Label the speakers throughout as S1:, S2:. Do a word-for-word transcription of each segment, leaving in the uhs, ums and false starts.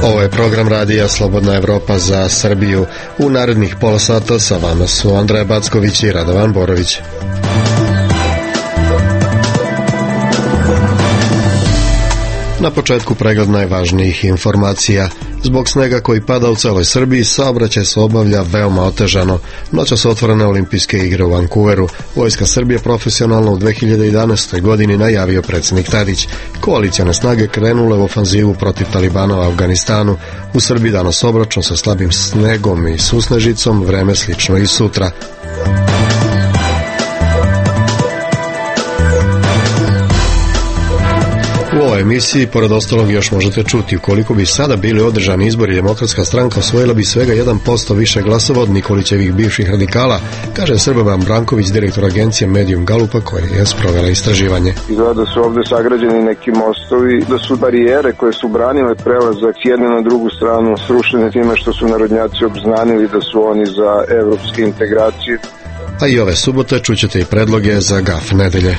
S1: Ovo je program radija Slobodna Evropa za Srbiju. U narednih pola sata sa vama su Andreja Backović i Radovan Borović. Na početku pregled najvažnijih informacija. Zbog snega koji pada u celoj Srbiji, saobraćaj se obavlja veoma otežano. Noćas su otvorene olimpijske igre u Vancouveru. Vojska Srbije profesionalno u dve hiljade jedanaestoj. godini najavio predsjednik Tadić. Koalicione snage krenule u ofanzivu protiv Talibana u Afganistanu. U Srbiji danas obračun sa slabim snegom i susnežicom, vreme slično i sutra. U ovoj emisiji, pored ostalog, još možete čuti: ukoliko bi sada bili održani izbori, Demokratska stranka osvojila bi svega jedan posto više glasova od Nikolićevih bivših radikala, kaže Srboban Branković, direktor agencije Medium Galupa, koja je sprovela istraživanje.
S2: Izgleda da su ovde sagrađeni neki mostovi, da su barijere koje su branile prelazak s jedne na drugu stranu srušene time što su narodnjaci obznanili da su oni za evropske integracije.
S1: A i ove subote čućete i predloge za gaf nedelje.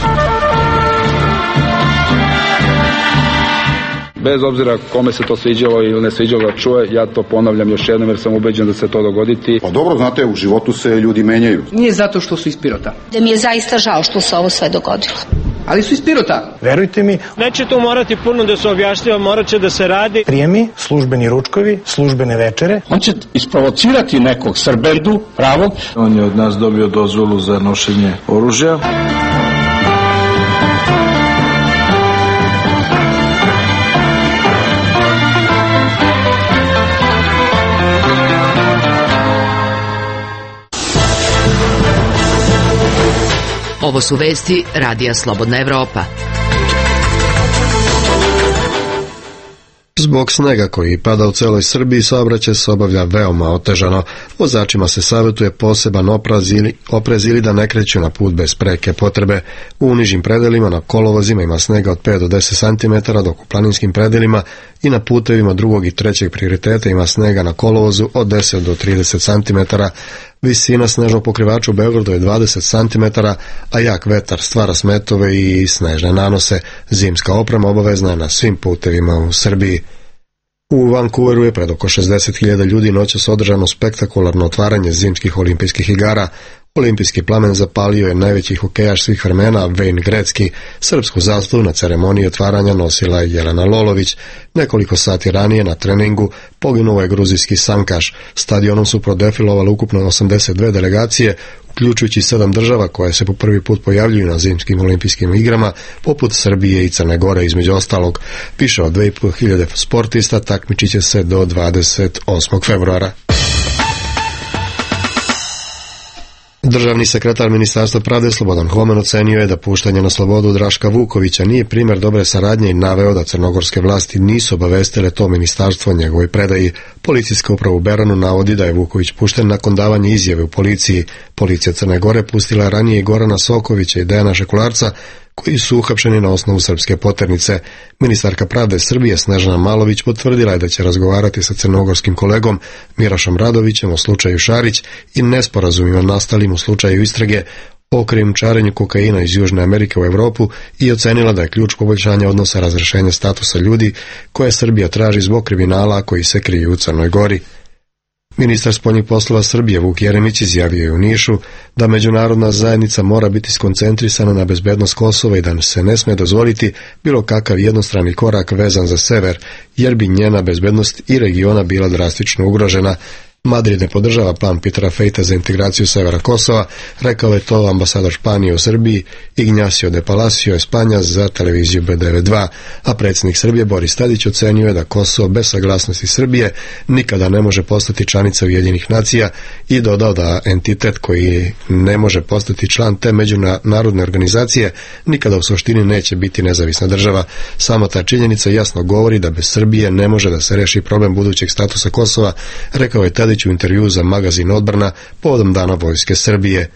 S3: Bez obzira kome se to sviđalo ili ne sviđalo da čuje, ja to ponavljam još jednom jer sam ubeđen da se to dogoditi.
S4: Pa dobro, znate, u životu se ljudi menjaju.
S5: Nije zato što su iz Pirota.
S6: Da mi je zaista žao što se ovo sve dogodilo.
S5: Ali su iz Pirota.
S7: Verujte mi.
S8: Neće tu morati puno da se objašnjava, morat će da se radi.
S7: Prijemi, službeni ručkovi, službene večere.
S9: On će isprovocirati nekog Srbendu, pravog.
S10: On je od nas dobio dozvolu za nošenje oružja.
S11: Ovo su vesti radija Slobodna Evropa.
S1: Zbog snega koji pada u celoj Srbiji, saobraćaj se obavlja veoma otežano. Vozačima se savjetuje poseban oprez ili, oprez ili da ne kreću na put bez preke potrebe. U nižim predelima na kolovozima ima snega od pet do deset centimetara, dok u planinskim predelima i na putevima drugog i trećeg prioriteta ima snega na kolovozu od deset do trideset centimetara. Visina snežnog pokrivača u Beogradu je dvadeset centimetara, a jak vetar stvara smetove i snežne nanose. Zimska oprema obavezna je na svim putevima u Srbiji. U Vancouveru je pred oko šezdeset hiljada ljudi noćas održano spektakularno otvaranje zimskih olimpijskih igara. Olimpijski plamen zapalio je najveći hokejaš svih vremena Wayne Gretzky. Srpsku zastavu na ceremoniji otvaranja nosila je Jelena Lolović. Nekoliko sati ranije na treningu poginuo je gruzijski sankaš. Stadionom su prodefilovali ukupno osamdeset dve delegacije, uključujući sedam država koje se po prvi put pojavljuju na zimskim olimpijskim igrama, poput Srbije i Crne Gore između ostalog. Više od dve i po hiljade sportista takmičiće se do dvadeset osmog februara. Državni sekretar Ministarstva pravde Slobodan Homen ocenio je da puštanje na slobodu Draška Vukovića nije primjer dobre saradnje i naveo da crnogorske vlasti nisu obavestile to ministarstvo o njegovoj predaji. Policijska uprava u Beranu navodi da je Vuković pušten nakon davanja izjave u policiji. Policija Crne Gore pustila je ranije i Gorana Sokovića i Dejana Šekularca, koji su uhapšeni na osnovu srpske poternice. Ministarka pravde Srbije Snežana Malović potvrdila je da će razgovarati sa crnogorskim kolegom Mirašom Radovićem o slučaju Šarić i nesporazumima nastalim u slučaju istrage o krijumčarenju kokaina iz Južne Amerike u Evropu i ocenila da je ključ poboljšanja odnosa razrješenja statusa ljudi koje Srbija traži zbog kriminala koji se kriju u Crnoj Gori. Ministar spoljnih poslova Srbije Vuk Jeremić izjavio je u Nišu da međunarodna zajednica mora biti skoncentrisana na bezbednost Kosova i da se ne sme dozvoliti bilo kakav jednostrani korak vezan za sever, jer bi njena bezbednost i regiona bila drastično ugrožena. Madrid ne podržava plan Petera Fejta za integraciju severa Kosova, rekao je to ambasador Španije u Srbiji Ignacio de Palacio Espanja za televiziju B devet dva, a predsjednik Srbije Boris Tadić ocenio je da Kosovo bez saglasnosti Srbije nikada ne može postati članica Ujedinjenih nacija i dodao da entitet koji ne može postati član te međunarodne organizacije nikada u suštini neće biti nezavisna država. Samo ta činjenica jasno govori da bez Srbije ne može da se reši problem budućeg statusa Kosova, rekao je Tadić u intervju za magazin Odbrana povodom Dana Vojske Srbije.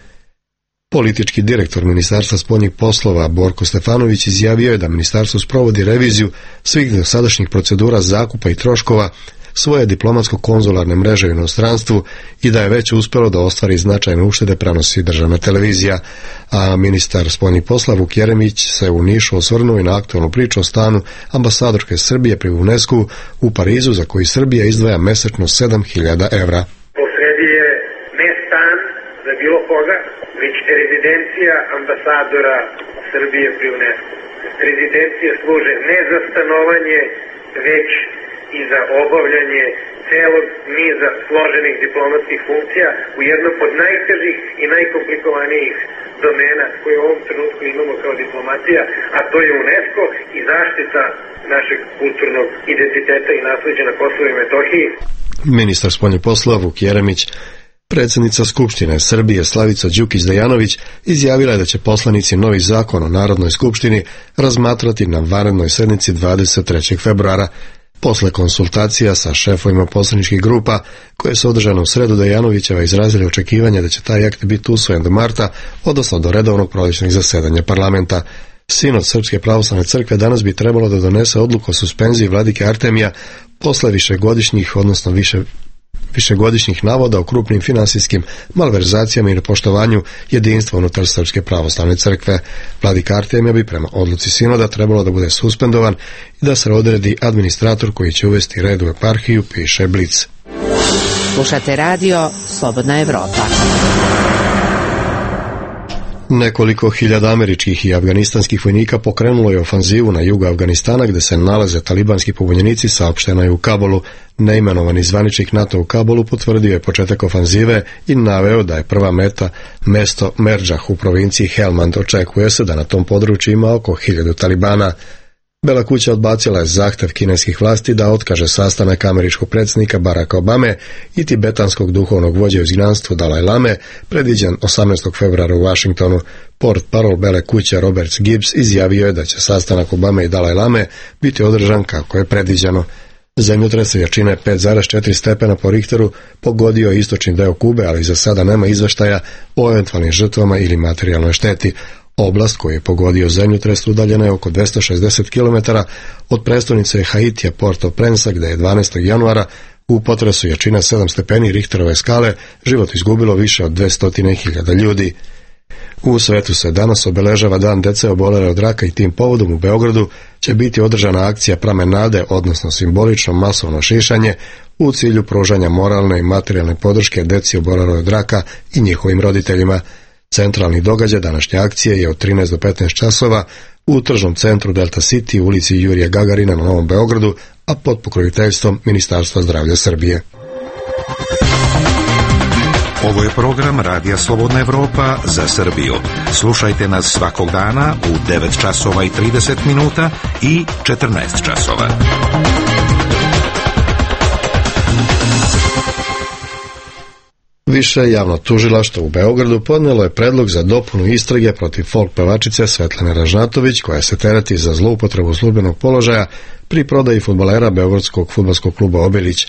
S1: Politički direktor Ministarstva spoljnih poslova Borko Stefanović izjavio je da ministarstvo sprovodi reviziju svih dosadašnjih procedura zakupa i troškova svoje diplomatsko-konzularne mreže u inostranstvu i da je već uspelo da ostvari značajne uštede, prenosi državna televizija. A ministar spoljnih poslova Vuk Jeremić se u Nišu osvrnuo i na aktualnu priču o stanu ambasadorke Srbije pri UNESCO u Parizu, za koji Srbija izdvaja mesečno sedam hiljada evra.
S12: Posredi je ne stan za bilo koga, već rezidencija ambasadora Srbije pri UNESCO. Rezidencije služe ne za stanovanje, već i za obavljanje celog niza složenih diplomatskih funkcija u jednom od najtežih i najkomplikovanijih domena koje u ovom trenutku imamo kao diplomatija, a to je UNESCO i zaštita našeg kulturnog identiteta i nasleđa na Kosovu i Metohiji.
S1: Ministar spoljnih poslova Vuk Jeremić. Predsjednica Skupštine Srbije Slavica Đukić-Dejanović izjavila je da će poslanici novi zakon o Narodnoj skupštini razmatrati na vanrednoj sednici dvadeset trećeg februara. Posle konsultacija sa šefovima poslaničkih grupa, koje su održane u sredu, Dejanovićeva izrazili očekivanje da će taj akt biti usvojen do marta, odnosno do redovnog prolećnog zasedanja parlamenta. Sinod Srpske pravoslavne crkve danas bi trebalo da donese odluku o suspenziji vladike Artemija posle višegodišnjih, odnosno više višegodišnjih navoda o krupnim finansijskim malverzacijama i nepoštovanju jedinstva unutar Srpske pravoslavne crkve. Vladika Artemija bi prema odluci sinoda trebalo da bude suspendovan i da se odredi administrator koji će uvesti red u eparhiju, piše Blic.
S11: Slušate radio Slobodna Evropa.
S1: Nekoliko hiljada američkih i afganistanskih vojnika pokrenulo je ofanzivu na jugu Afganistana, gde se nalaze talibanski pobunjenici, saopšteno je u Kabulu. Neimenovani zvaničnik NATO u Kabulu potvrdio je početak ofanzive i naveo da je prva meta mesto Merdžah u provinciji Helmand. Očekuje se da na tom području ima oko hiljadu talibana. Bela kuća odbacila je zahtev kineskih vlasti da otkaže sastanak američkog predsjednika Baracka Obame i tibetanskog duhovnog vođe u izgnanstvu Dalaj Lame, predviđen osamnaestog februara u Vašingtonu. Port parol Bele kuće Robert Gibbs izjavio je da će sastanak Obame i Dalaj Lame biti održan kako je predviđeno. Zemljotres jačine pet zarez četiri stepena po Richteru pogodio je istočni deo Kube, ali za sada nema izveštaja o eventualnim žrtvama ili materijalnoj šteti. Oblast koju je pogodio zemljotres udaljena je oko dvesta šezdeset kilometara od prestonice Haitija Port-au-Prince, gde je dvanaestog januara u potresu jačina sedam stepeni Richterove skale život izgubilo više od dvesta hiljada ljudi. U svetu se danas obeležava dan dece obolele od raka i tim povodom u Beogradu će biti održana akcija Pramen nade, odnosno simbolično masovno šišanje u cilju pružanja moralne i materijalne podrške deci oboleloj od raka i njihovim roditeljima. Centralni događaj današnje akcije je od trinaest do petnaest časova u tržnom centru Delta City u ulici Jurija Gagarina na Novom Beogradu, a pod pokroviteljstvom Ministarstva zdravlja Srbije.
S13: Ovo je program Radija Slobodna Evropa za Srbiju. Slušajte nas svakog dana u devet časova i trideset minuta i četrnaest časova.
S1: Više javno tužilaštvo u Beogradu podnijelo je predlog za dopunu istrage protiv folk pevačice Svetlane Ražnatović, koja se tereti za zloupotrebu službenog položaja pri prodaji fudbalera beogradskog fudbalskog kluba Obilić.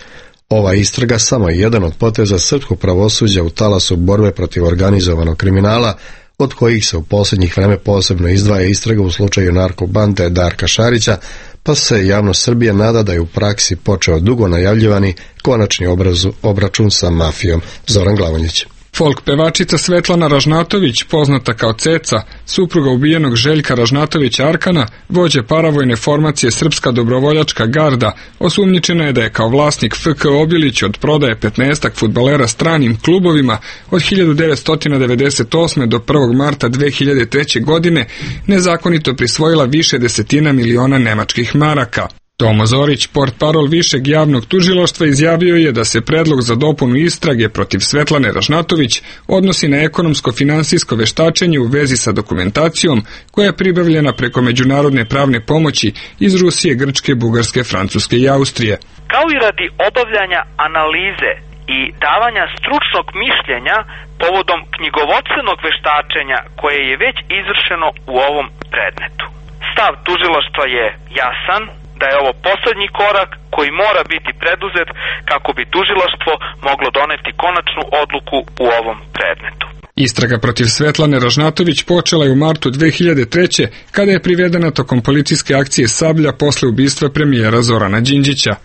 S1: Ova istraga samo je jedan od poteza srpskog pravosuđa u talasu borbe protiv organizovanog kriminala, od kojih se u posljednjih vreme posebno izdvaja istraga u slučaju narkobande Darka Šarića, pa se javnost Srbije nada da je u praksi počeo dugo najavljivani konačni obrazu, obračun sa mafijom. Zoran Glavonjić.
S14: Folk pevačica Svetlana Ražnatović, poznata kao Ceca, supruga ubijenog Željka Ražnatovića Arkana, vođe paravojne formacije Srpska dobrovoljačka garda, osumnjičena je da je kao vlasnik F K Obilić od prodaje petnaestak fudbalera stranim klubovima od hiljadu devetsto devedeset osme do prvog marta dve hiljade treće. godine nezakonito prisvojila više desetina miliona nemačkih maraka. Tomo Zorić, portparol Višeg javnog tužilaštva, izjavio je da se predlog za dopunu istrage protiv Svetlane Ražnatović odnosi na ekonomsko-finansijsko veštačenje u vezi sa dokumentacijom koja je pribavljena preko međunarodne pravne pomoći iz Rusije, Grčke, Bugarske, Francuske i Austrije.
S15: Kao i radi obavljanja analize i davanja stručnog mišljenja povodom knjigovodstvenog veštačenja koje je već izvršeno u ovom predmetu. Stav tužilaštva je jasan, da je ovo posljednji korak koji mora biti preduzet kako bi tužilaštvo moglo doneti konačnu odluku u ovom predmetu.
S14: Istraga protiv Svetlane Ražnatović počela je u martu dve hiljade treće. kada je privedena tokom policijske akcije Sablja posle ubistva premijera Zorana Đinđića.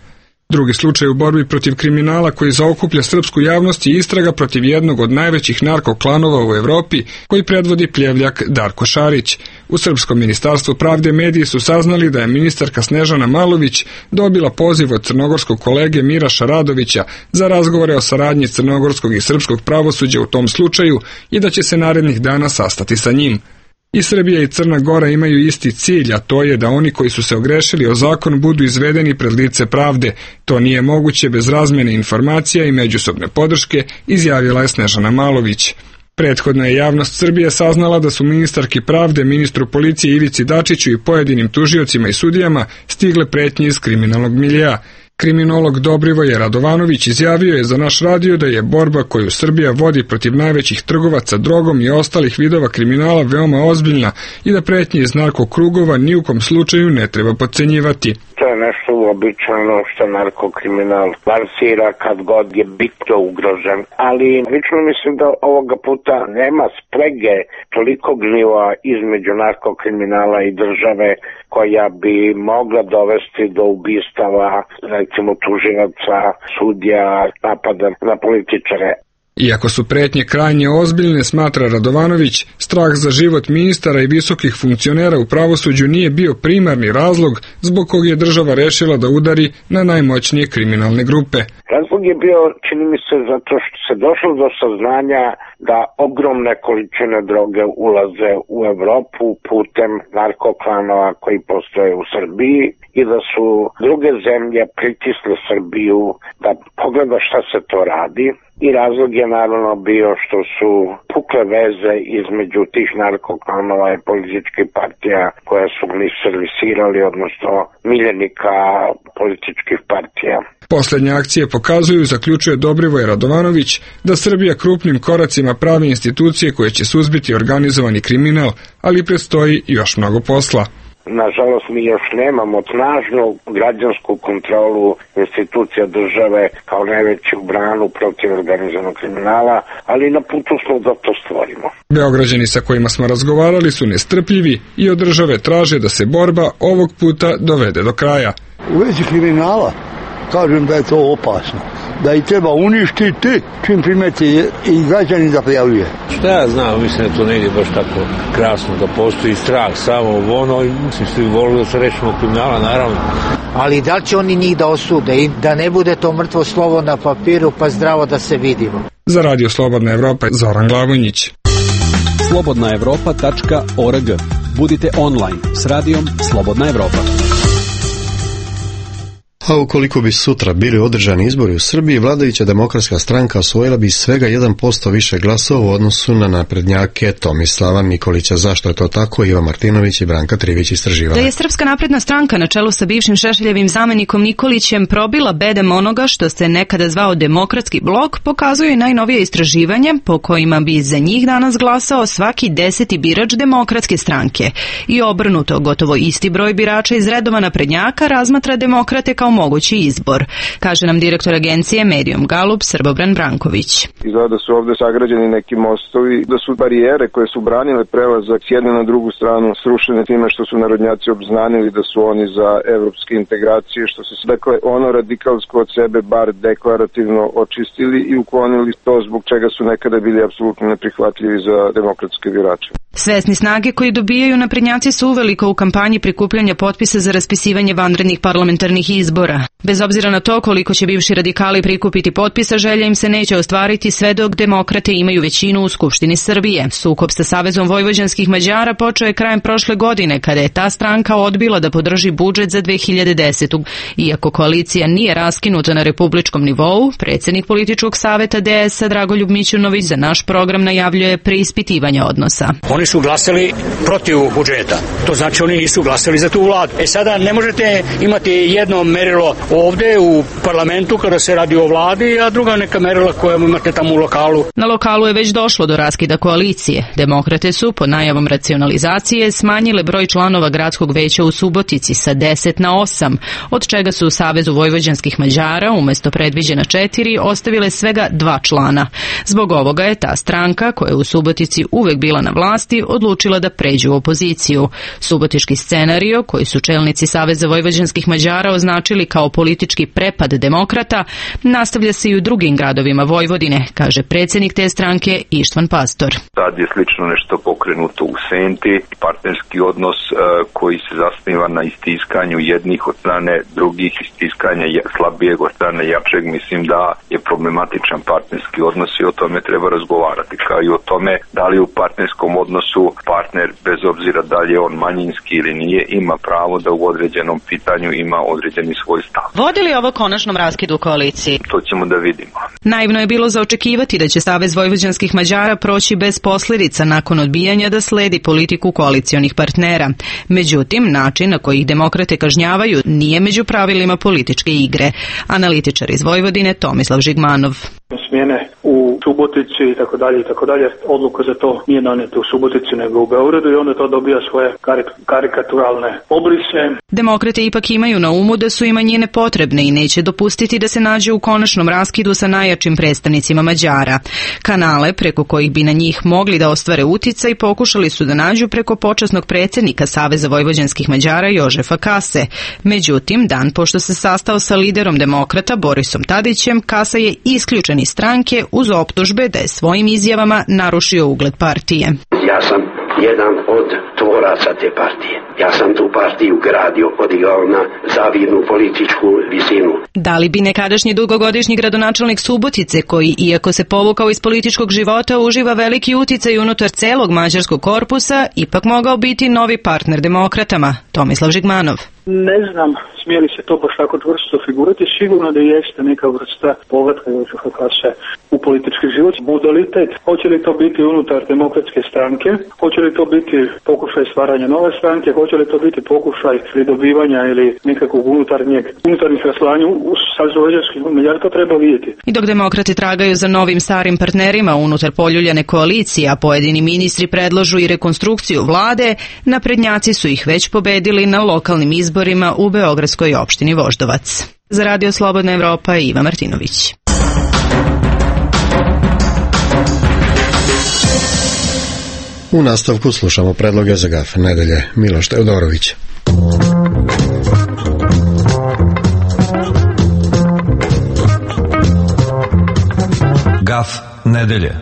S14: Drugi slučaj u borbi protiv kriminala koji zaokuplja srpsku javnost je istraga protiv jednog od najvećih narkoklanova u Evropi koji predvodi pljevljak Darko Šarić. U Srpskom ministarstvu pravde mediji su saznali da je ministarka Snežana Malović dobila poziv od crnogorskog kolege Miraša Radovića za razgovore o saradnji crnogorskog i srpskog pravosuđa u tom slučaju i da će se narednih dana sastati sa njim. I Srbija i Crna Gora imaju isti cilj, a to je da oni koji su se ogrešili o zakon budu izvedeni pred lice pravde. To nije moguće bez razmjene informacija i međusobne podrške, izjavila je Snežana Malović. Prethodno je javnost Srbije saznala da su ministarki pravde, ministru policije Ivici Dačiću i pojedinim tužiocima i sudijama stigle pretnje iz kriminalnog miljea. Kriminolog Dobrivoje Radovanović izjavio je za naš radio da je borba koju Srbija vodi protiv najvećih trgovaca drogom i ostalih vidova kriminala veoma ozbiljna i da pretnje iz narkokrugova ni u kom slučaju ne treba podcenjivati.
S16: To je nešto uobičajeno što narkokriminal lansira kad god je bitno ugrožen, ali lično mislim da ovoga puta nema sprege toliko gnjiva između narkokriminala i države koja bi mogla dovesti do ubistava, recimo tužilaca, sudija, napada na političare.
S14: Iako su pretnje krajnje ozbiljne, smatra Radovanović, strah za život ministara i visokih funkcionera u pravosuđu nije bio primarni razlog zbog kog je država rešila da udari na najmoćnije kriminalne grupe.
S16: Razlog je bio, čini mi se, zato što se došlo do saznanja da ogromne količine droge ulaze u Evropu putem narkoklanova koji postoje u Srbiji i da su druge zemlje pritisle Srbiju da pogleda šta se to radi. I razlog je naravno bio što su pukle veze između tih narkoklanova i političkih partija koja su ih servisirali, odnosno miljenika političkih partija.
S14: Poslednje akcije pokazuju, zaključuje Dobrivoje Radovanović, da Srbija krupnim koracima pravi institucije koje će suzbiti organizovani kriminal, ali predstoji još mnogo posla.
S16: Nažalost, mi još nemamo snažnu građansku kontrolu institucija države kao najveću branu protiv organizovanog kriminala, ali na putu smo da to stvorimo.
S14: Beograđani sa kojima smo razgovarali su nestrpljivi i od države traže da se borba ovog puta dovede do kraja.
S17: U vezi kriminala kažem da je to opasno, da ih treba uništiti čim primeti i građani da prijavljuje.
S18: Šta ja znam, mislim da to ne ide baš tako krasno, da postoji strah samo u ono i mislim svi volili da se rešimo kriminala, naravno.
S19: Ali da li će oni njih da osude i da ne bude to mrtvo slovo na papiru pa zdravo da se vidimo?
S14: Za Radio Slobodna Evropa, Zoran Glavonjić.
S20: slobodna evropa tačka org. Budite online s radijom Slobodna Evropa.
S1: A ukoliko bi sutra bili održani izbori u Srbiji, vladajuća demokratska stranka osvojila bi svega jedan posto više glasova u odnosu na naprednjake Tomislava Nikolića. Zašto je to tako? Iva Martinović i Branka Trivić istraživala.
S21: Da je Srpska napredna stranka na čelu sa bivšim Šešeljevim zamenikom Nikolićem probila bedem onoga što se nekada zvao Demokratski blok, pokazuje i najnovije istraživanje po kojima bi za njih danas glasao svaki deseti birač Demokratske stranke. I obrnuto, gotovo isti broj birača iz redova naprednjaka razmatra demokrate kao mogući izbor, kaže nam direktor agencije Medium Galup Srbobran Branković.
S2: Izgleda da su ovde sagrađeni neki mostovi, da su barijere koje su branile prelazak s jedne na drugu stranu srušene time što su narodnjaci obznanili da su oni za evropske integracije, što su dakle ono radikalsko od sebe bar deklarativno očistili i uklonili to zbog čega su nekada bili apsolutno neprihvatljivi za demokratske birače.
S21: Svesni snage koji dobijaju naprednjaci su uveliko u kampanji prikupljanja potpisa za raspisivanje vanrednih parlamentarnih izbora. Bez obzira na to koliko će bivši radikali prikupiti potpisa, želja im se neće ostvariti sve dok demokrate imaju većinu u Skupštini Srbije. Sukob sa Savezom vojvođanskih Mađara počeo je krajem prošle godine, kada je ta stranka odbila da podrži budžet za dve hiljade desetu. Iako koalicija nije raskinuta na republičkom nivou, predsjednik političkog saveta D S-a Dragoljub Mićunović za naš program najavljuje preispitivanje odnosa.
S9: Oni su glasali protiv budžeta. To znači oni nisu glasali za tu vladu. E sada ne možete imati jedno merilo ovde u parlamentu kada se radi o vladi, a druga neka merila koja imate tamo u lokalu.
S21: Na lokalu je već došlo do raskida koalicije. Demokrate su, pod najavom racionalizacije, smanjile broj članova gradskog veća u Subotici sa deset na osam, od čega su u Savezu vojvođanskih Mađara umesto predviđena četiri ostavile svega dva člana. Zbog ovoga je ta stranka, koja je u Subotici uvek bila na vlasti, odlučila da pređu u opoziciju. Subotički scenario, koji su čelnici Saveza vojvođanskih Mađara označili doživjeli kao politički prepad demokrata, nastavlja se i u drugim gradovima Vojvodine, kaže predsjednik te stranke Ištvan Pastor.
S3: Tad je slično nešto pokrenuto u Senti, partnerski odnos e, koji se zasniva na istiskanju jednih od strane drugih, istiskanja slabijeg od strane jačeg. Mislim da je problematičan partnerski odnos i o tome treba razgovarati, kao i o tome da li u partnerskom odnosu partner, bez obzira da li je on manjinski ili nije, ima pravo da u određenom pitanju ima određeni svoj stav.
S21: Vodi li ovo konačnom raskidu koaliciji?
S3: To ćemo da vidimo.
S21: Naivno je bilo za očekivati da će Savez vojvođanskih Mađara proći bez posljedica nakon odbijanja da sledi politiku koalicionih partnera. Međutim, način na koji ih demokrate kažnjavaju nije među pravilima političke igre. Analitičar iz Vojvodine Tomislav Žigmanov.
S22: Smjene u Subotici i tako dalje i tako dalje. Odluka za to nije donijeta u Subotici nego u Beogradu i onda to dobija svoje karik- karikaturalne obrise.
S21: Demokrate ipak imaju na umu da su i manjine potrebne i neće dopustiti da se nađe u konačnom raskidu sa najjačim predstavnicima Mađara. Kanale preko kojih bi na njih mogli da ostvare uticaj pokušali su da nađu preko počasnog predsjednika Saveza vojvođanskih Mađara Jožefa Kase. Međutim, dan pošto se sastao sa liderom demokrata Borisom Tadićem, Kasa je isključen iz stranke uz optužbe da je svojim izjavama narušio ugled partije.
S23: Ja sam jedan od tvoraca te partije. Ja sam tu partiju gradio, podigao na zavidnu političku visinu.
S21: Da li bi nekadašnji dugogodišnji gradonačelnik Subotice, koji iako se povukao iz političkog života uživa veliki uticaj unutar celog mađarskog korpusa, ipak mogao biti novi partner demokratama? Tomislav Žigmanov.
S22: Ne znam, smije li se to baš tako čvrsto figurati, sigurno da jeste neka vrsta povratka Jožefa Kase u politički život. Modalitet, hoće li to biti unutar demokratske stranke, hoće li to biti pokušaj stvaranja nove stranke, hoće li to biti pokušaj pridobivanja ili nekakvog unutarnjeg, unutarnjih raslanja u savjezovođanskih Mađara, to treba vidjeti.
S21: I dok demokrati tragaju za novim starim partnerima unutar poljuljane koalicije, a pojedini ministri predlažu i rekonstrukciju vlade, naprednjaci su ih već pobedili na lokalnim izborima u beogradskoj opštini Voždovac. Za Radio Slobodna Evropa Iva Martinović.
S1: U nastavku slušamo predloge za gaf nedelje. Miloš Teodorović.
S13: Gaf nedelje.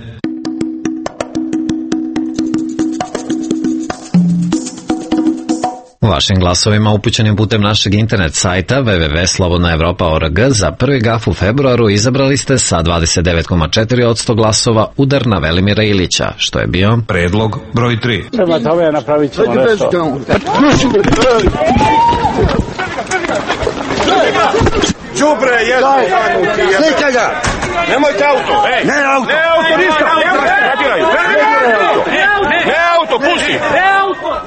S13: Vašim glasovima upućenim putem našeg internet sajta w w w tačka slobodna evropa tačka org za prvi gaf u februaru izabrali ste sa dvadeset devet zarez četiri posto glasova udar na Velimira Ilića, što je bio predlog broj tri.
S18: Prema tome napravit ćemo nešto.
S24: Đubre, jedno. Slika ga. Nemojte auto. Ej. Ne auto. Ne auto, ništa. Ne auto, pusti.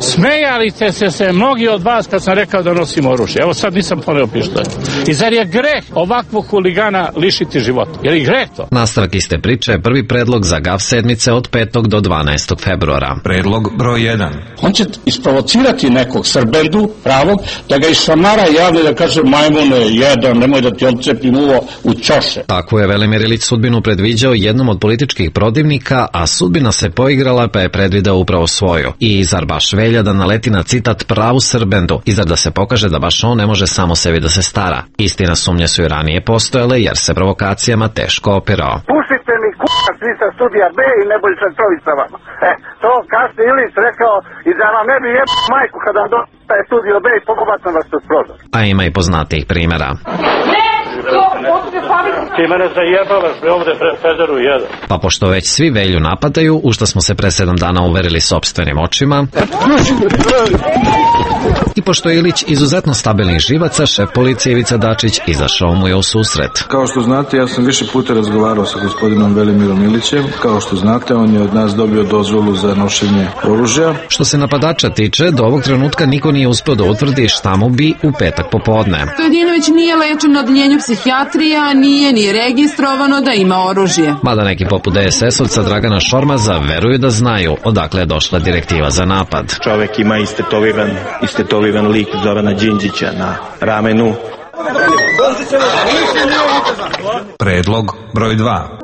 S18: Smejali ste se, se mnogi od vas kad sam rekao da nosimo oružje. Evo sad nisam poneo pištolj. I zar je greh ovakvog huligana lišiti života? Je li greh to?
S13: Nastavak iste priče je prvi predlog za gaf sedmice od petog do dvanaestog februara. Predlog broj jedan.
S18: On će isprovocirati nekog Srbendu pravog, da ga išamara javno da kaže majmune jedan, nemoj da ti odcepim uvo u ćoše.
S13: Tako je Velimir Ilić sudbinu predviđao jednom od političkih protivnika, a sudbina se poigrala pa je predvideo upravo svoju. I zar baš velja da naleti na citat pravu Srbendu i zar da se pokaže da baš on ne može samo sebi da se stara. Istina, sumnje su i ranije postojale jer se provokacijama teško opirao.
S16: Pustite mi k***a svi sa studija B i Nebojša Čović sa vama. E, to kasnije Ilić rekao i da vam ne bi jeb majku kada vam dostaje studio B i pokobacam vas kroz prozor.
S13: A ima i poznatijih primjera.
S18: Ti mene zajebavaš, bre, ovde Federu jedan.
S13: Pa pošto već svi Velju napadaju, u što smo se pre sedam dana uverili sopstvenim očima, i pošto je Ilić izuzetno stabilnih živaca, šef policije Ivica Dačić izašao mu je u susret.
S10: Kao što znate, ja sam više puta razgovarao sa gospodinom Velimirom Ilićem. Kao što znate, on je od nas dobio dozvolu za nošenje oružja.
S13: Što se napadača tiče, do ovog trenutka niko nije uspeo da utvrdi šta mu bi u petak popodne.
S25: Stojadinović nije lečen na odeljenju psihijatrija, nije ni registrovano da ima oružje.
S13: Mada neki poput D S S-ovca Dragana Šormaza veruju da znaju odakle je došla direktiva za napad.
S26: Čovek ima istetoviran, istetoviran lik Zorana Đinđića na ramenu.
S13: Predlog broj dva.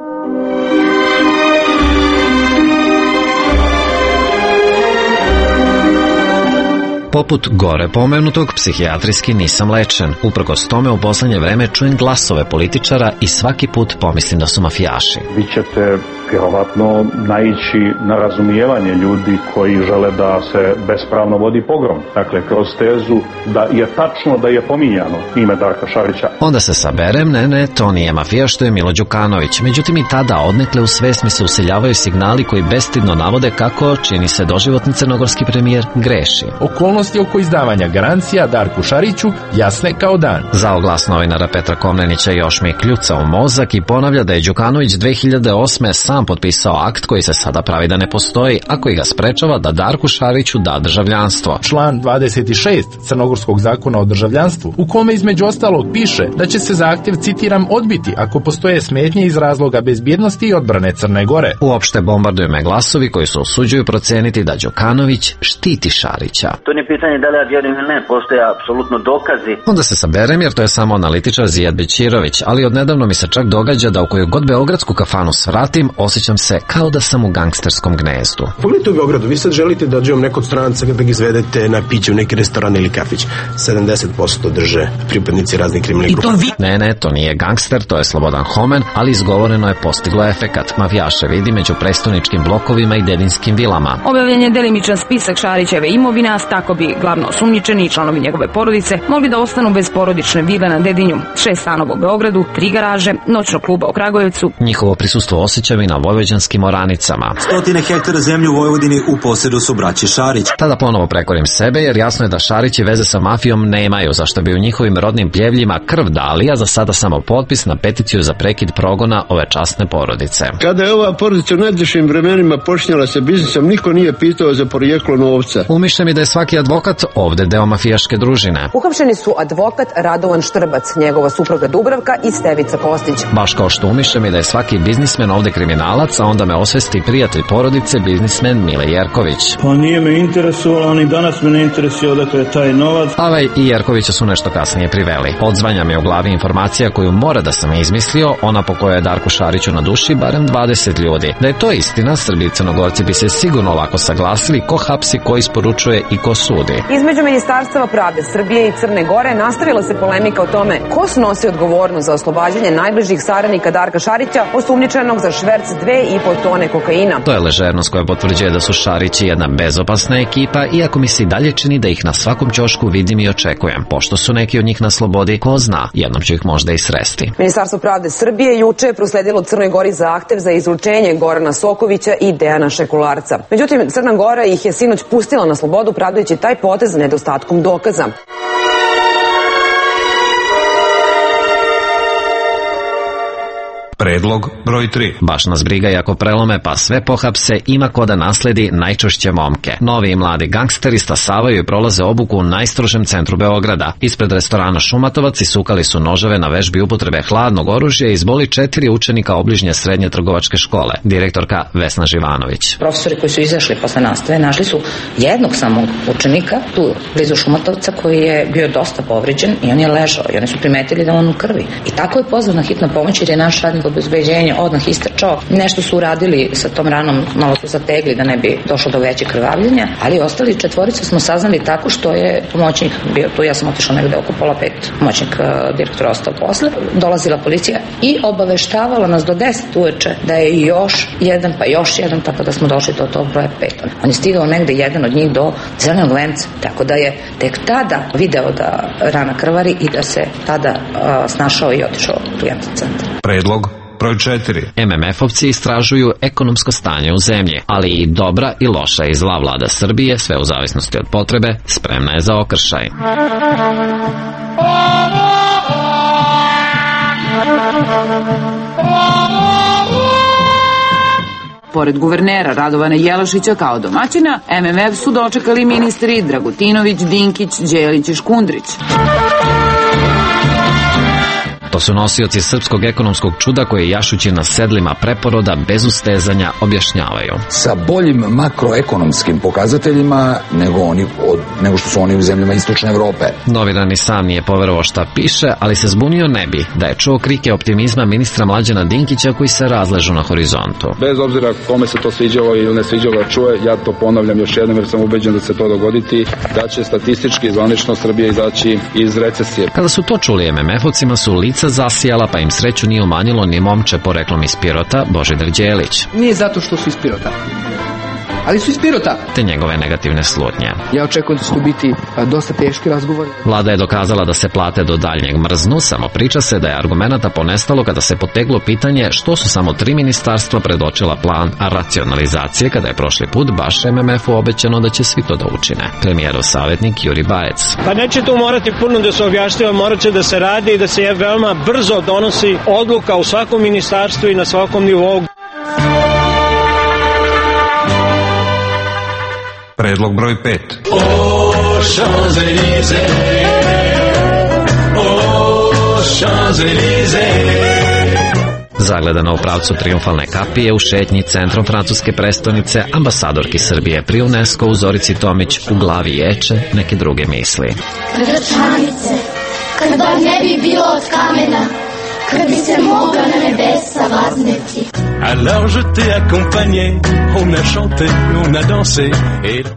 S13: Poput gore pomenutog, psihijatrijski nisam lečen. Uprkos tome u poslednje vreme čujem glasove političara i svaki put pomislim da su mafijaši.
S4: Vi ćete vjerovatno naići na razumijevanje ljudi koji žele da se bespravno vodi pogrom. Dakle, kroz tezu da je tačno da je pominjano ime Darka Šarića.
S13: Onda se saberem, ne, ne, to nije mafija što je Milo Đukanović. Međutim i tada odnekle u svest mi se useljavaju signali koji bestidno navode kako, čini se doživotni crnogorski premijer, greši.
S5: Okolnosti oko izdavanja garancija Darku Šariću jasne kao dan.
S13: Zao glas novinara Petra Komnenića još mi kljuca u mozak i ponavlja da je Đukanović dve hiljade osme sam potpisao akt koji se sada pravi da ne postoji, a koji ga sprečava da Darku Šariću da državljanstvo.
S5: Član dvadeset šest Crnogorskog zakona o državljanstvu, u kome između ostalog piše da će se zahtjev, citiram, odbiti ako postoje smetnje iz razloga bezbjednosti i odbrane Crne Gore.
S13: Uopšte bombarduju me glasovi koji se usuđuju proceniti da Đukanović štiti Šarića.
S6: To nije pitanje da li ja vjerujem ili ne, postoje apsolutno dokazi.
S13: Onda se saberem jer to je samo analitičar Zijad Bećirović, ali odnedavno mi se čak događa da u koju god beogradsku kafanu svratim, osjećam se kao da sam u gangsterskom gnezdu.
S7: Pogledajte u Beogradu, vi sad želite da dođemo nekog stranca da ga izvedete na piće u neki restoran ili kafić. sedamdeset posto drže pripadnici raznih kriminalnih grupa.
S13: Vi... Ne, ne, to nije gangster, to je Slobodan Homen, ali izgovoreno je postiglo efekat. Mafijaše vidi među prestoničkim blokovima i dedinskim vilama.
S8: Objavljen je delimičan spisak Šarićeve imovina, tako bi glavno osumnjičeni i članovi njegove porodice mogli da ostanu bez porodične vile na Dedinju, šest stanova u Beogradu, tri garaže, noćnog kluba u Kragujevcu.
S13: Njihovo prisustvo osjećam i na vojvođanskim oranicama.
S12: Stotine hektara zemlje u Vojvodini u posjedu su braće Šarić.
S13: Tada ponovo prekorim sebe jer jasno je da Šarić i veze sa mafijom nemaju, zašto bi u njihovim rodnim pljevljima krv dali, a za sada samo potpis na peticiju za prekid progona ove časne porodice.
S27: Kada je ova porodica u najtežim vremenima počinjala sa biznisom, niko nije pitao za porijeklo novca.
S13: Umišlja mi da je svaki advokat ovde deo mafijaške družine.
S28: Uhapšeni su advokat Radovan Štrbac, njegova supruga Dubravka i Stevica Kostić.
S13: Baš kao što umišlja mi da je svaki biznismen ovde kriminalac, a onda me osvesti prijatelj porodice, biznismen Mile Jerković.
S29: Pa nije me interesovalo, ni danas me ne interesuje odakle je taj novac.
S13: Avaj i Jerkovića su nešto kasnije priveli. Odzvanja mi u glavi informacija koju mora da sam izmislio, ona po kojoj je Darku Šariću na duši barem dvadeset ljudi. Da je to istina, Srbi i Crnogorci bi se sigurno lako saglasili ko hapsi, ko isporučuje i ko sudi.
S28: Između Ministarstva pravde Srbije i Crne Gore nastavila se polemika o tome ko snosi odgovornost za oslobađanje najbližih saradnika Darka Šarića, osumnjičenog za šverc dve i po tone kokaina.
S13: To je ležernost koja potvrđuje da su Šarići jedna bezopasna ekipa, iako mi se i dalje čini da ih na svakom ćošku vidim i očekujem. Pošto su neki od njih na slobodi, ko zna, jednom ću ih možda i sresti.
S28: Ministarstvo pravde Srbije juče je prosledilo Crnoj Gori zahtev za izručenje Gorana Sokovića i Dejana Šekularca. Međutim, Crna Gora ih je sinoć pustila na slobodu, pravdajući taj potez nedostatkom dokaza.
S30: Predlog broj tri.
S13: Baš nas briga i ako prelome pa sve pohapse, ima ko da nasledi najčešće momke. Novi i mladi gangsteri stasavaju i prolaze obuku u najstrožem centru Beograda. Ispred restorana Šumatovac isukali su noževe na vežbi upotrebe hladnog oružja i izboli četiri učenika obližnje srednje trgovačke škole. Direktorka Vesna Živanović.
S31: Profesori koji su izašli posle nastave našli su jednog samog učenika tu blizu Šumatovca koji je bio dosta povređen i on je ležao i oni su primetili da on u krvi. I tako je pozvana hitna pomoć jer je naš radnik obezbeđenje odmah istrčao. Nešto su uradili sa tom ranom, malo su zategli da ne bi došlo do većeg krvavljenja, ali ostali četvoricu smo saznali tako što je pomoćnik bio tu, ja sam otišla negde oko pola pet, pomoćnik uh, direktora ostao posle, dolazila policija i obaveštavala nas do deset uveče da je još jedan pa još jedan, tako da smo došli do tog broja pet. On je stigao negde jedan od njih do zelenog venca, tako da je tek tada video da rana krvari i da se tada uh, snašao i otišao u jedan centar.
S30: Predlog broj četiri.
S13: em em efovci istražuju ekonomsko stanje u zemlji, ali i dobra i loša i zla vlada Srbije, sve u zavisnosti od potrebe, spremna je za okršaj.
S25: Pored guvernera Radovana Jelašića kao domaćina, em em ef su dočekali ministri Dragutinović, Dinkić, Đelić i Škundrić.
S13: To su nosioci srpskog ekonomskog čuda koje jašući na sedlima preporoda bez ustezanja objašnjavaju.
S2: Sa boljim makroekonomskim pokazateljima nego, oni, od, nego što su oni u zemljama Istočne Evrope.
S13: Novinar ni sam nije poverovao šta piše, ali se zbunio ne bi da je čuo krike optimizma ministra Mlađana Dinkića koji se razležu na horizontu.
S10: Bez obzira kome se to sviđalo ili ne sviđalo da čuje, ja to ponavljam još jednom jer sam ubeđen da se to dogoditi, da će statistički zvanično Srbija izaći iz recesije.
S13: Kada su to čuli em em efovcima su lica zasijala, pa im sreću nije umanjilo ni momče poreklom iz Pirota, Božidar Đelić.
S3: Nije zato što su iz Pirota, ali su iz Pirota.
S13: Te njegove negativne slutnje.
S3: Ja očekujem da će to biti dosta teški razgovor.
S13: Vlada je dokazala da se plate do daljnjeg mrznu, samo priča se da je argumenata ponestalo kada se poteglo pitanje što su samo tri ministarstva predočila plan racionalizacije kada je prošli put baš em em efu obećano da će svi to da učine. Premijerov savjetnik Juri Bajec.
S9: Pa neće tu morati puno da se objašnjava, morat će da se radi i da se veoma brzo donosi odluka u svakom ministarstvu i na svakom nivou.
S30: Predlog broj pet.
S11: O Champs-Élysées, o Champs-Élysées.
S13: Zagledana u pravcu triumfalne kapije u šetnji centrom francuske prestonice, ambasadorki Srbije pri UNESCO u Zorici Tomić u glavi ječe neke druge misli.
S14: Gračanice, kad bar ne bi bilo od kamena, kad bi se mogla na nebesa vazneti.
S11: Alors je t'ai accompagné, on a chanté, on a dansé.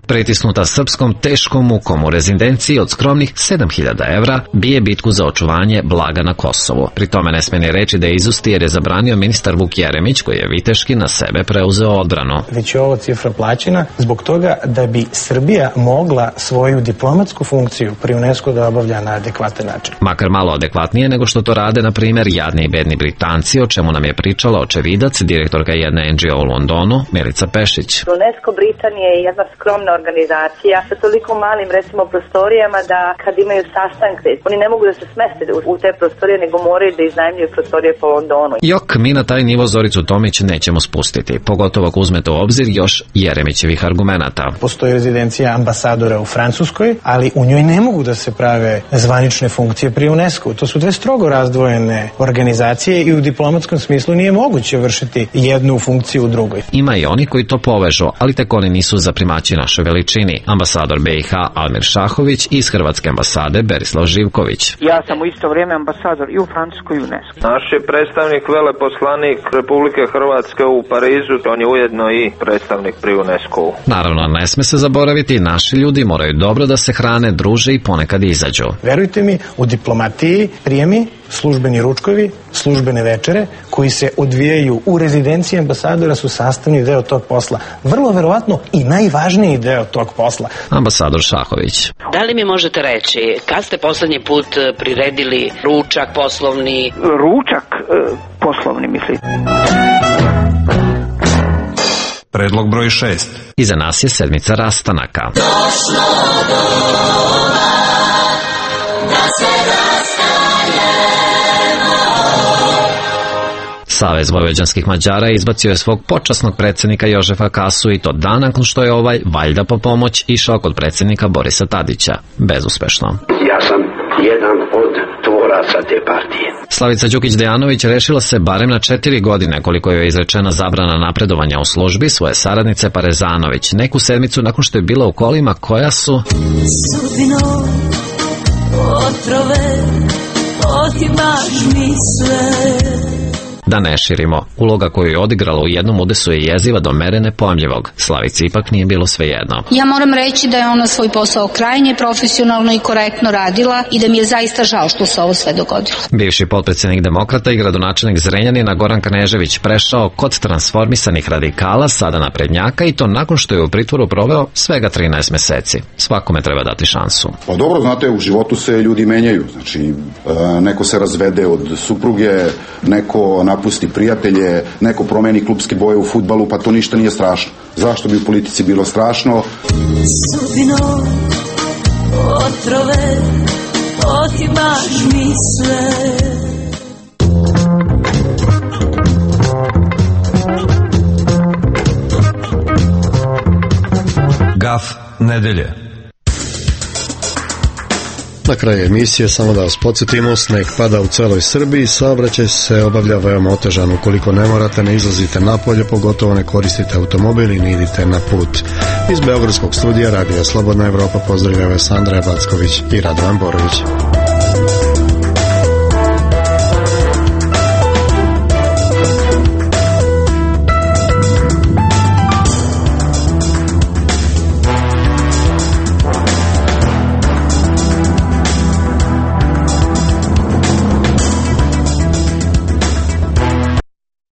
S13: Pritisnuta srpskom teškom mukom u rezidenciji od skromnih sedam hiljada evra bije bitku za očuvanje blaga na Kosovu. Pri tome ne sme ni reći da je izusti jer je zabranio ministar Vuk Jeremić koji je viteški na sebe preuzeo odbranu.
S15: Već je ovo cifra plaćena zbog toga da bi Srbija mogla svoju diplomatsku funkciju pri UNESCO da obavlja na adekvatan način.
S13: Makar malo adekvatnije nego što to rade na primjer jadni i bedni Britanci, o čemu nam je pričala očevidac, direktorka jedne en dži o u Londonu, Milica Pešić.
S17: UNESCO Britanije je jedna skromna organizacija sa toliko malim, recimo, prostorijama da kad imaju sastanke, oni ne mogu da se smeste u te prostorije, nego moraju da iznajmljuju prostorije po Londonu.
S13: Jok, mi na taj nivo Zoricu Tomić nećemo spustiti, pogotovo ako uzmete u obzir još Jeremićevih argumenata.
S15: Postoji rezidencija ambasadora u Francuskoj, ali u njoj ne mogu da se prave zvanične funkcije pri UNESCO. To su dve strogo razdvojene organizacije i u diplomatskom smislu nije moguće vršiti jednu funkciju u drugoj.
S13: Ima i oni koji to povežu, ali tek oni nisu za primaći našoj veličini. Ambasador be i ha Almir Šahović i iz Hrvatske ambasade Berislav Živković.
S19: Ja sam u isto vrijeme ambasador i u Francuskoj i u UNESCO.
S26: Naš je predstavnik, veleposlanik Republike Hrvatske u Parizu, on je ujedno i predstavnik pri UNESCO-u.
S13: Naravno, ne sme se zaboraviti, naši ljudi moraju dobro da se hrane, druže i ponekad izađu.
S15: Verujte mi, u diplomatiji prijemi, službeni ručkovi, službene večere koji se odvijaju u rezidenciji ambasadora su sastavni deo tog posla. Vrlo verovatno i najvažniji deo tog posla.
S13: Ambasador Šahović.
S20: Da li mi možete reći kad ste poslednji put priredili ručak poslovni?
S19: Ručak e, poslovni, mislite?
S30: Predlog broj šest.
S13: Iza nas je sedmica rastanaka.
S14: Došlo doba da se
S13: Savez vojvođanskih Mađara izbacio je svog počasnog predsjednika Jožefa Kasu i to dan nakon što je ovaj, valjda po pomoć, išao kod predsjednika Borisa Tadića. Bezuspešno.
S22: Ja sam jedan od tvoraca te partije.
S13: Slavica Đukić-Dejanović rešila se barem na četiri godine koliko je izrečena zabrana napredovanja u službi svoje saradnice Parezanović, neku sedmicu nakon što je bila u kolima koja su...
S14: Sudbino, otrove, otimaš mi sve.
S13: Da ne širimo, uloga koju je odigrala u jednom udesu je jeziva do mere nepojmljivog. Slavici ipak nije bilo svejedno.
S23: Ja moram reći da je ona svoj posao krajnje profesionalno i korektno radila i da mi je zaista žao što se ovo sve dogodilo.
S13: Bivši potpredsjednik Demokrata i gradonačelnik Zrenjanina Goran Knežević prešao kod transformisanih radikala, sada naprednjaka, i to nakon što je u pritvoru proveo svega trinaest meseci. Svakome treba dati šansu.
S32: Pa dobro, znate, u životu se ljudi menjaju. Znači, neko se razvede od supruge, neko napusti prijatelje, neko promeni klubske boje u fudbalu, pa to ništa nije strašno. Zašto bi u politici bilo strašno?
S14: Sudbino, otrove, otimaš mi sve.
S30: Gaf nedelje.
S1: Na kraju emisije samo da vas podsjetimo, sneg pada u celoj Srbiji, saobraćaj se obavlja veoma otežan. Ukoliko ne morate, ne izlazite napolje, pogotovo ne koristite automobil i ne idite na put. Iz Beogradskog studija Radija Slobodna Evropa pozdravljaju vas Andreja Backović i Radovan Borović.